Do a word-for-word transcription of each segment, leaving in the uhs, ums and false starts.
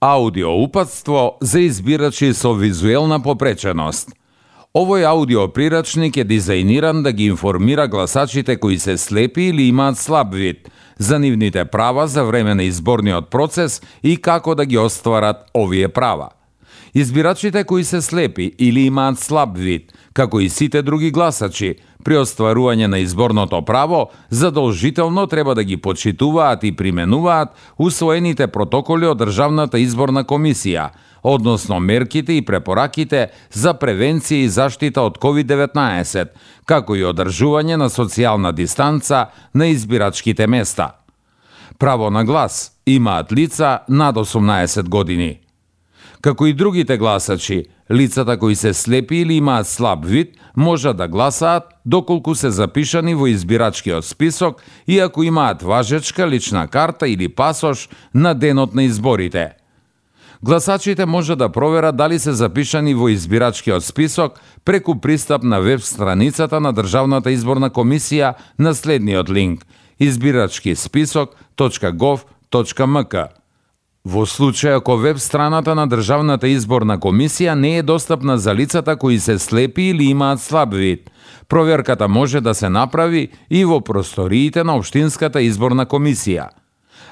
Аудио упатство за избирачи со визуелна попреченост. Овој аудио прирачник е дизајниран да ги информира гласачите кои се слепи или имаат слаб вид за нивните права за време на изборниот процес и како да ги остварат овие права. Избирачите кои се слепи или имаат слаб вид, како и сите други гласачи, при остварување на изборното право, задолжително треба да ги почитуваат и применуваат усвоените протоколи од Државната изборна комисија, односно мерките и препораките за превенција и заштита од ковид деветнаесет, како и одржување на социјална дистанца на избирачките места. Право на глас имаат лица над осумнаесет години. Како и другите гласачи, лицата кои се слепи или имаат слаб вид можат да гласаат доколку се запишани во избирачкиот список и ако имаат важечка лична карта или пасош на денот на изборите. Гласачите може да проверат дали се запишани во избирачкиот список преку пристап на веб страницата на Државната изборна комисија на следниот линк избирачки список точка гов точка ем ка. Во случај ако веб страната на Државната изборна комисија не е достапна за лицата кои се слепи или имаат слаб вид, проверката може да се направи и во просториите на Општинската изборна комисија.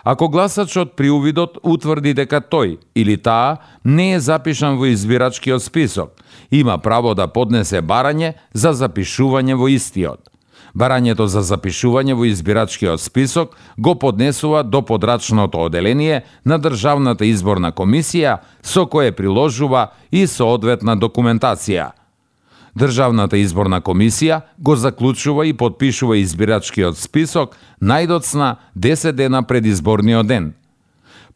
Ако гласачот при увидот утврди дека тој или таа не е запишан во избирачкиот список, има право да поднесе барање за запишување во истиот. Барањето за запишување во избирачкиот список го поднесува до подрачното оделение на Државната изборна комисија, со кое приложува и соодветна документација. Државната изборна комисија го заклучува и подпишува избирачкиот список најдоцна десет дена пред изборниот ден.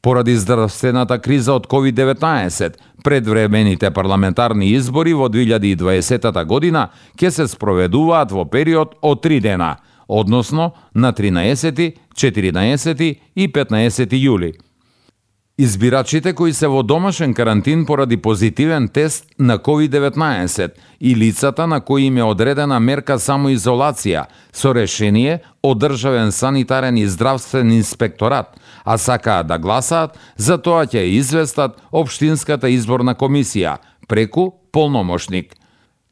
Поради здравствената криза од ковид деветнаесет, предвремените парламентарни избори во две илјади и дваесета година ќе се спроведуваат во период од три дена, односно на тринаесети, четиринаесети и петнаесети јули. Избирачите кои се во домашен карантин поради позитивен тест на ковид деветнаесет и лицата на кои им е одредена мерка самоизолација со решение од Државен санитарен и здравствен инспекторат, а сакаат да гласаат, за тоа ќе известат Општинската изборна комисија преку полномошник.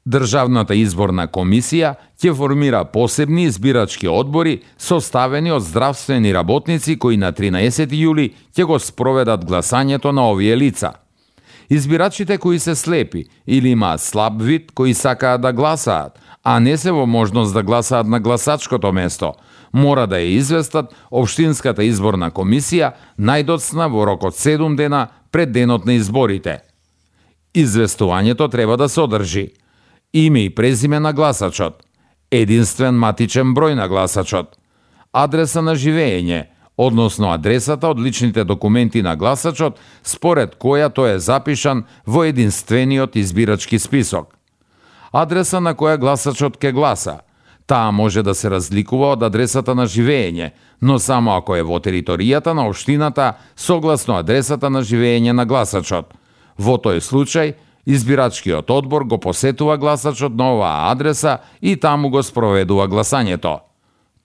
Државната изборна комисија ќе формира посебни избирачки одбори составени од здравствени работници кои на тринаесети јули ќе го спроведат гласањето на овие лица. Избирачите кои се слепи или имаат слаб вид кои сакаат да гласаат, а не се во можност да гласаат на гласачкото место, мора да ја известат Општинската изборна комисија најдоцна во рок од седум дена пред денот на изборите. Известувањето треба да содржи име и презиме на гласачот, единствен матичен број на гласачот, адреса на живење, односно адресата од личните документи на гласачот според која тој е запишан во единствениот избирачки список, адреса на која гласачот ке гласа. Таа може да се разликува од адресата на живење, но само ако е во територијата на општината согласно адресата на живење на гласачот. Во тој случај, избирачкиот одбор го посетува гласачот на оваа адреса и таму го спроведува гласањето.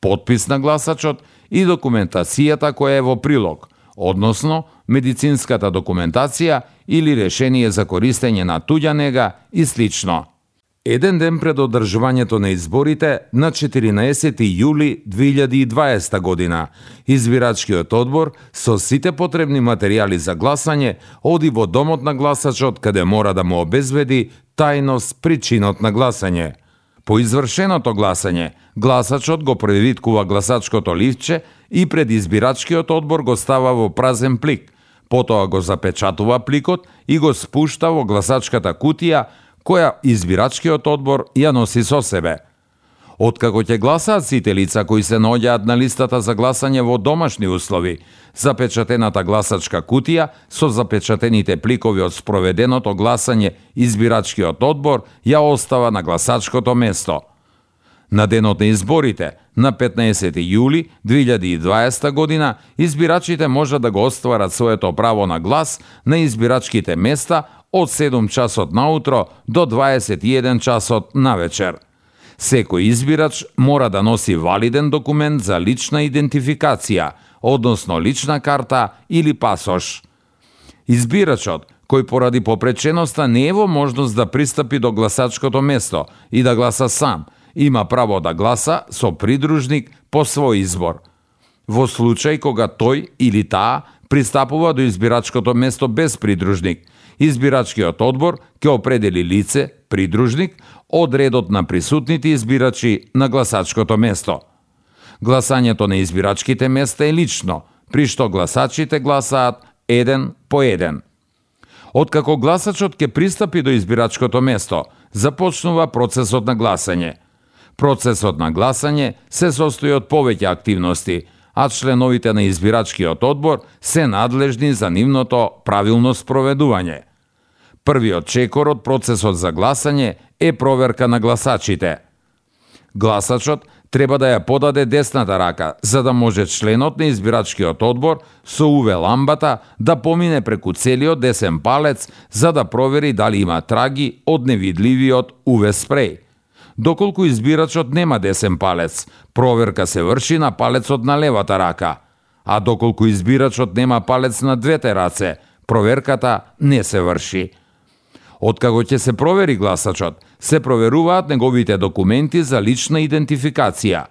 Подпис на гласачот и документацијата која е во прилог, односно медицинската документација или решение за користење на туѓа нега и слично. Еден ден пред одржувањето на изборите, на четиринаесети јули две илјади и дваесета година, избирачкиот одбор со сите потребни материјали за гласање оди во домот на гласачот каде мора да му обезбеди тајност при чинот на гласање. По извршеното гласање, гласачот го превиткува гласачкото ливче и пред избирачкиот одбор го става во празен плик, потоа го запечатува пликот и го спушта во гласачката кутија која избирачкиот одбор ја носи со себе. Откако ќе гласаат сите лица кои се наоѓаат на листата за гласање во домашни услови, запечатената гласачка кутија со запечатените пликови од спроведеното гласање избирачкиот одбор ја остава на гласачкото место. На денот на изборите, на петнаесети јули две илјади и дваесета година, избирачите можат да го остварат своето право на глас на избирачките места од седум часот наутро до дваесет и еден часот навечер. Секој избирач мора да носи валиден документ за лична идентификација, односно лична карта или пасош. Избирачот, кој поради попреченоста не е во можност да пристапи до гласачкото место и да гласа сам, има право да гласа со придружник по свој избор. Во случај кога тој или таа пристапува до избирачкото место без придружник, избирачкиот одбор ќе определи лице, придружник, од редот на присутните избирачи на гласачкото место. Гласањето на избирачките места е лично, при што гласачите гласаат еден по еден. Откако гласачот ќе пристапи до избирачкото место, започнува процесот на гласање. Процесот на гласање се состои од повеќе активности, а членовите на избирачкиот одбор се надлежни за нивното правилно спроведување. Првиот чекор од процесот за гласање е проверка на гласачите. Гласачот треба да ја подаде десната рака, за да може членот на избирачкиот одбор со ю ви ламбата да помине преку целиот десен палец за да провери дали има траги од невидливиот ю ви спреј. Доколку избирачот нема десен палец, проверка се врши на палецот на левата рака, а доколку избирачот нема палец на двете раце, проверката не се врши. Откако ќе се провери гласачот, се проверуваат неговите документи за лична идентификација.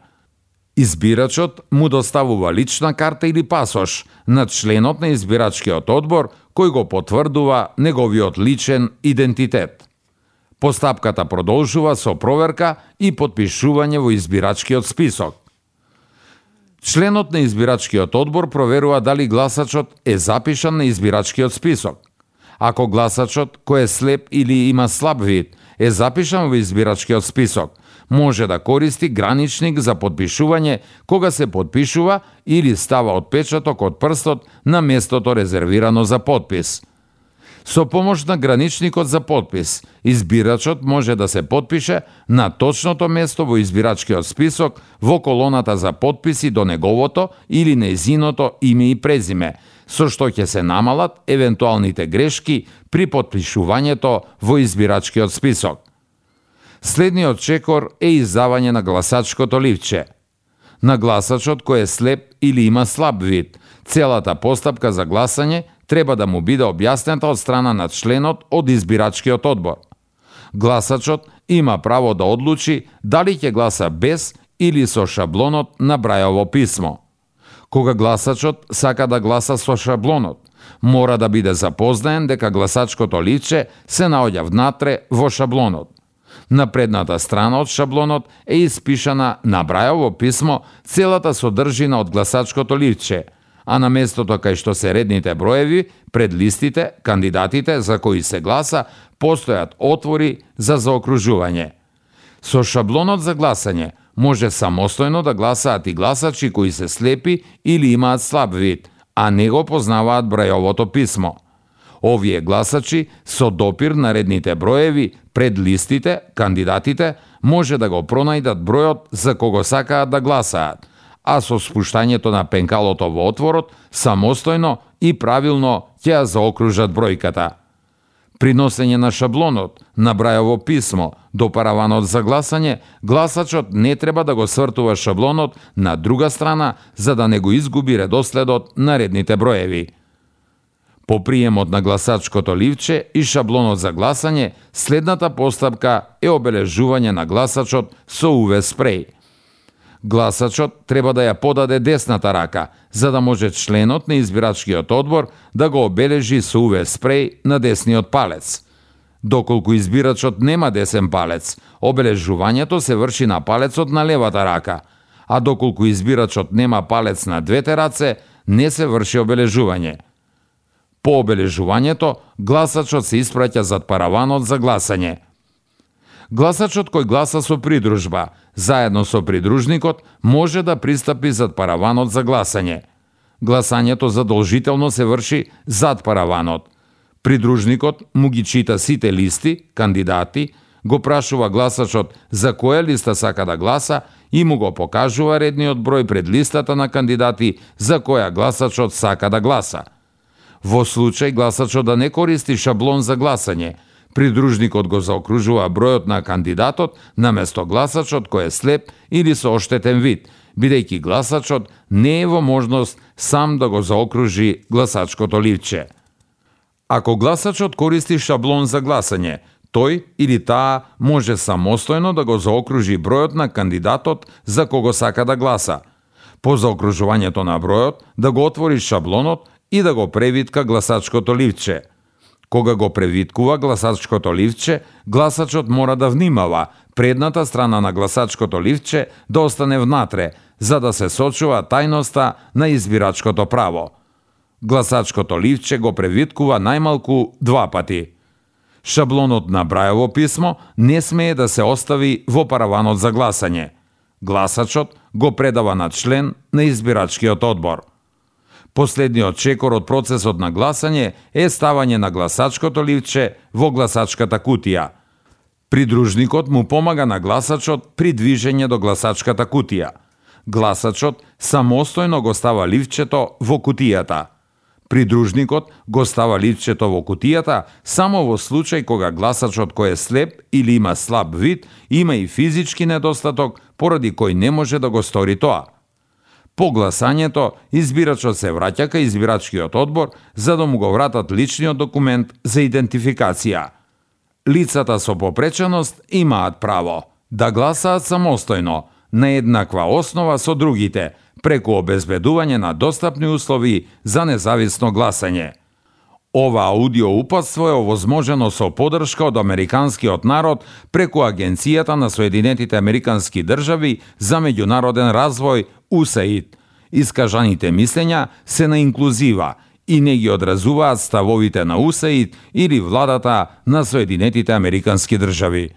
Избирачот му доставува лична карта или пасош на членот на избирачкиот одбор кој го потврдува неговиот личен идентитет. Постапката продолжува со проверка и потпишување во избирачкиот список. Членот на избирачкиот одбор проверува дали гласачот е запишан на избирачкиот список. Ако гласачот, кој е слеп или има слаб вид, е запишан во избирачкиот список, може да користи граничник за потпишување кога се потпишува или става отпечаток од прстот на местото резервирано за потпис. Со помош на граничникот за потпис, избирачот може да се потпише на точното место во избирачкиот список во колоната за потписи до неговото или нејзиното име и презиме, со што ќе се намалат евентуалните грешки при потпишувањето во избирачкиот список. Следниот чекор е издавање на гласачкото ливче. На гласачот кој е слеп или има слаб вид, целата постапка за гласање треба да му биде објаснета од страна на членот од избирачкиот одбор. Гласачот има право да одлучи дали ќе гласа без или со шаблонот на Брајово писмо. Кога гласачот сака да гласа со шаблонот, мора да биде запознаен дека гласачкото ливче се наоѓа внатре во шаблонот. На предната страна од шаблонот е испишана на Брајово писмо целата содржина од гласачкото ливче, а на местото кај што се редните броеви, пред листите, кандидатите за кои се гласа, постојат отвори за заокружување. Со шаблонот за гласање може самостојно да гласаат и гласачи кои се слепи или имаат слаб вид, а не го познаваат Брајовото писмо. Овие гласачи со допир на редните броеви пред листите, кандидатите, може да го пронајдат бројот за кого сакаат да гласаат, а со спуштањето на пенкалото во отворот, самостојно и правилно ќе ја заокружат бројката. При носење на шаблонот на Брајово писмо до параванот за гласање, гласачот не треба да го свртува шаблонот на друга страна за да не го изгуби редоследот на редните броеви. По приемот на гласачкото ливче и шаблонот за гласање, следната постапка е обележување на гласачот со ю ви спреј. Гласачот треба да ја подаде десната рака, за да може членот на избирачкиот одбор да го обележи со ю ви спреј на десниот палец. Доколку избирачот нема десен палец, обележувањето се врши на палецот на левата рака, а доколку избирачот нема палец на двете раце, не се врши обележување. По обележувањето, гласачот се испраќа зад параванот за гласање. Гласачот кој гласа со придружба, заедно со придружникот, може да пристапи зад параванот за гласање. Гласањето задолжително се врши зад параванот. Придружникот му ги чита сите листи, кандидати, го прашува гласачот за која листа сака да гласа и му го покажува редниот број пред листата на кандидати за која гласачот сака да гласа. Во случај гласачот да не користи шаблон за гласање, придружникот го заокружува бројот на кандидатот наместо гласачот кој е слеп или со оштетен вид, бидејќи гласачот не е во можност сам да го заокружи гласачкото ливче. Ако гласачот користи шаблон за гласање, тој или таа може самостојно да го заокружи бројот на кандидатот за кого сака да гласа. По заокружувањето на бројот, да го отвори шаблонот и да го превитка гласачкото ливче. Кога го превиткува гласачкото ливче, гласачот мора да внимава предната страна на гласачкото ливче да остане внатре, за да се сочува тајноста на избирачкото право. Гласачкото ливче го превиткува најмалку два пати. Шаблонот на брајово писмо не смее да се остави во параванот за гласање. Гласачот го предава на член на избирачкиот одбор. Последниот чекор од процесот на гласање е ставање на гласачкото ливче во гласачката кутија. Придружникот му помага на гласачот при движење до гласачката кутија. Гласачот самостојно го става ливчето во кутијата. Придружникот го става ливчето во кутијата само во случај кога гласачот кој е слеп или има слаб вид, има и физички недостаток поради кој не може да го стори тоа. По гласањето, избирачот се враќа кај избирачкиот одбор за да му го вратат личниот документ за идентификација. Лицата со попреченост имаат право да гласаат самостојно, на еднаква основа со другите, преку обезбедување на достапни услови за независно гласање. Ова аудио упатство е овозможено со подршка од американскиот народ преку Агенцијата на Соединетите Американски држави за меѓународен развој У С А И Д. Искажаните мислења се на инклузива и не ги одразуваат ставовите на У С А И Д или владата на Соединетите Американски држави.